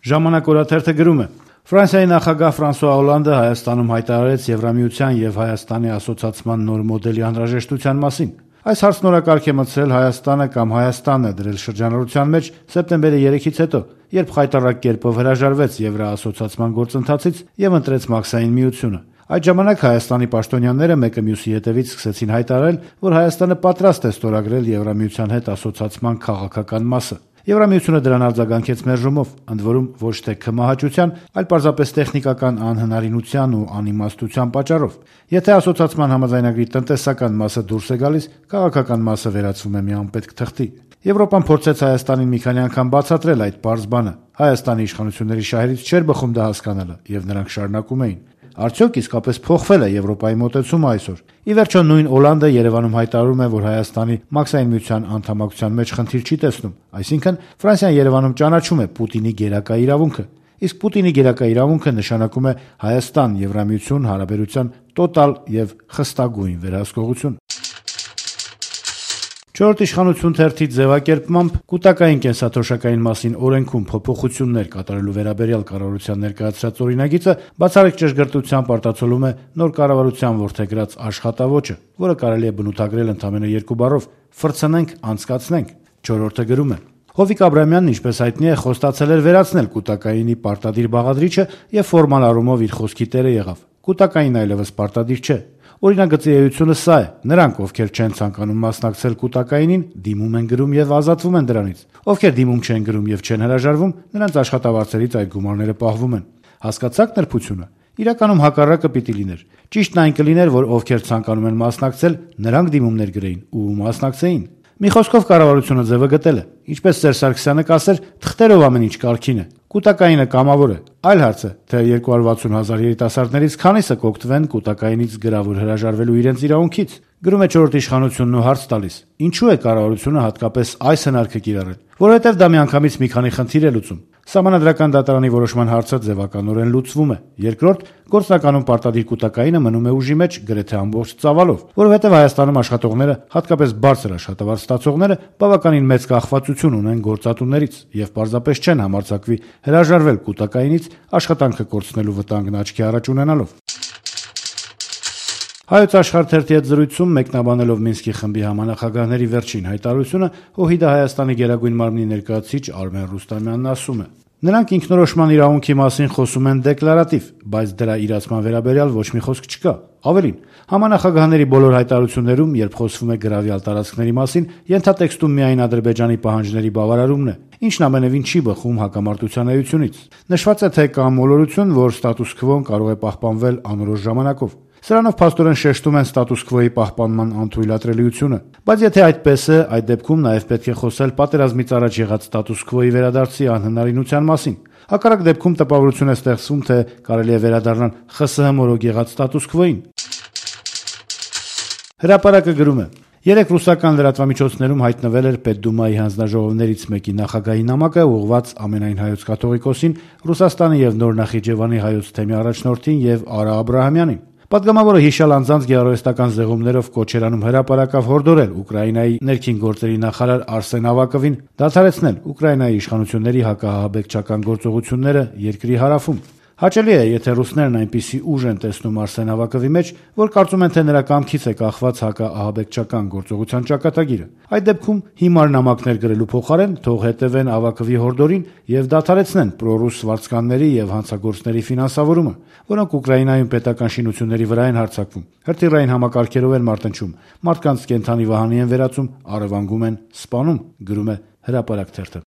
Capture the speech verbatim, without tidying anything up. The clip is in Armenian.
Ժամանակ օրաթերթը գրում է. Ֆրանսիայի նախագահ Ֆրանսուଆ Օլանդը Հայաստանում հայտարարեց Եվրամիության եւ Հայաստանի ասոցացման նոր մոդելի անհրաժեշտության մասին։ Այս հարցն օրակարգ է մտցրել Հայաստանը կամ Հայաստանը դրել շրջանառության մեջ սեպտեմբերի երեքից հետո, երբ խայտառակ կերպով հրաժարվեց Եվրաասոցացման գործընթացից եւ ընտրեց Մաքսային միությունը։ Այդ ժամանակ Հայաստանի պաշտոնյաները մեկը մյուսի հետևից սկսեցին հայտարարել, որ Հայաստանը պատրաստ է ստորագրել Եվրամիության հետ ասոցացման քաղաքական մասը։ Եվրամիությունը դրան արձագանքեց մերժումով, ընդ որում ոչ թե քմահաճության, այլ պարզապես տեխնիկական անհնարինության ու անիմաստության պատճառով։ Եթե ասոցացման համաձայնագրի տնտեսական մասը դուրս է գալիս, քաղաքական մասը վերածվում է մի անպետք թղթի։ Եվրոպան փորձեց Հայաստանին մի քանի անգամ բացատրել այդ պարզ բանը։ Հայաստանի իշխանությունների շահերից չէր բխում դա հասկանալը, եւ նրանք շարունակում էին։ Արդյոք իսկապես փոխվել է Եվրոպայի մոտեցումը այսօր։ Ի վերջո նույն Օլանդը Երևանում հայտարարում է, որ Հայաստանի Մաքսային միության անդամակցության մեջ խնդիր չի տեսնում, այսինքն Ֆրանսիան Երևանում ճանաչում է Պուտինի գերակա իրավունքը, իսկ Պուտինի գերակա իրավունքը նշանակում է Հայաստան-Եվրամիություն հարաբերության տոտալ եւ խստագույն վերահսկողություն։ Չորրորդ իշխանություն թերթի ձևակերպմամբ կൂട്ടակային կենսաթոշակային մասին օրենքում փոփոխություններ կատարելու վերաբերյալ կառավարության ներկայացրած օրինագիծը բացառիկ ճշգրտությամբ արտացոլում է նոր կառավարության որդեգրած աշխատավոճը, որը կարելի է բնութագրել ընդամենը երկու բառով՝ «ֆրցնենք, անցկացնենք»։ Չորրորդը գրում է. Հովիկ Աբրամյանն, ինչպես հայտնի է, խոստացել էր վերացնել կൂട്ടակայինի պարտադիր բաղադրիչը եւ ֆորմալ առումով իր խոսքի տերը եղավ։ Կൂട്ടակային այլևս պարտադիր չէ։ Օրինագծի էությունը սա է. նրանք, ովքեր չեն ցանկանում մասնակցել կൂട്ടակայինին, դիմում են գրում եւ ազատվում են դրանից։ Ովքեր դիմում չեն գրում եւ չեն հրաժարվում, նրանց աշխատավարձերից այդ գումարները պահվում են։ Հասկացա՞ք նրբությունը։ Իրականում հակառակը պիտի լիներ։ Ճիշտն այն կլիներ, որ ովքեր ցանկանում են մասնակցել, նրանք դիմումներ գրեին ու մասնակցեին։ Մի խոսքով կառավարությունը ձևը գտել է։ Ինչպես Սերժ Սարգսյանը կասեր, թղթերով ամեն ինչ կարգին է։ Կൂട്ടակայինը կամավոր է։ Այլ հարց է, թե երկու հարյուր վաթսուն հազար երիտասարդներից քանիսը կօգտվեն կൂട്ടակայինից գրավոր հրաժարվելու իրենց իրավունքից։ Գրում է չորրորդ իշխանությունն ու հարց տալիս. ինչու է կառավարությունը հատկապես այս հնարքը կիրառել։ Որովհետև դա միանգամից մի քանի խնդիր է լուծում։ Սահմանադրական դատարանի որոշման հարցը ձևականորեն լուծվում է։ Երկրորդ, գործնականում պարտադիր կൂട്ടակայինը մնում է ուժի մեջ գրեթե ամբողջ ծավալով, որովհետև Հայաստանում աշխատողները, հատկապես բարձր աշխատավարձ ստացողները, բավականին մեծ կախվածություն ունեն գործատուներից եւ պարզապես չեն համարձակվի հրաժարվել կൂട്ടակայինից աշխատանքը կորցնելու վտանգն աչքի առաջ ունենալով։ Հայոց աշխարհ թերթի հետ զրույցում մեկնաբանելով Մինսկի խմբի համանախագահների վերջին հայտարարությունը, ՕՀԻԴ Հայաստանի գերագույն մարմնի ներկայացուցիչ Արմեն Ռուստամյանն ասում է. նրանք ինքնորոշման իրավունքի մասին խոսում են դեկլարատիվ, բայց դրա իրացման վերաբերյալ ոչ մի խոսք չկա։ Ավելին, համանախագահների բոլոր հայտարարություններում, երբ խոսվում է գրավյալ տարածքների մասին, ենթատեքստում միայն Ադրբեջանի պահանջների բավարարումն է, ինչն ամենևին չի բխում հակամարտության էությունից։ Նշված է, թե կա մոլորություն, որ ստատուս քվոն կարող է պահպանվել անորոշ ժամանակով։ Սրանով փաստորեն շեշտում են ստատուս քվոյի պահպանման անթույլատրելիությունը։ Բայց եթե այդպես է, այդ դեպքում նաև պետք է խոսել պատերազմից առաջ եղած ստատուս քվոյի վերադարձի անհնարինության մասին։ Հակառակ դեպքում տպավորություն է ստեղծվում, թե կարելի է վերադառնալ ԽՍՀՄ մորոք եղած ստատուս քվոյին։ Հրապարակը գրում է. Երեք ռուսական լրատվամիջոցներում հայտնվել էր Պետդումայի հանձնաժողովներից մեկի նախագահի նամակը, ուղղված ամենայն հայոց կաթողիկոսին, Ռուսաստանի եւ Նոր Նախիջևանի հայոց թեմի առաջնորդին եւ Արա Աբրահամյանին։ Պատգամավորը հիշալ անձանց գեղարվեստական զեղումներով կոչ էր անում հրապարակավ հորդորել Ուկրաինայի ներքին գործերի նախարար Արսեն Ավակովին դադարեցնել Ուկրաինայի իշխանությունների հակահահաբեկչական գործողությունները երկրի հարավում։ Հաճելի է, եթե ռուսներն այնպիսի ուժ են տեսնում Արսեն Ավակովի մեջ, որ կարծում են, թե նրա կամքից է կախված հակաահաբեկչական գործողության ճակատագիրը։ Այդ դեպքում հիմար նամակներ գրելու փոխարեն թող հետևեն Ավակովի հորդորին եւ դադարեցնեն պրոռուս վարձկանների եւ հանցագործների ֆինանսավորումը, որոնք Ուկրաինայում պետական շինությունների վրա են հարձակվում, հրթիռային համակարգերով են մարտնչում, մարդկանց կենդանի վահանի են վերածում, առևանգում են, սպանում, գրում է Հրապարակ թերթը։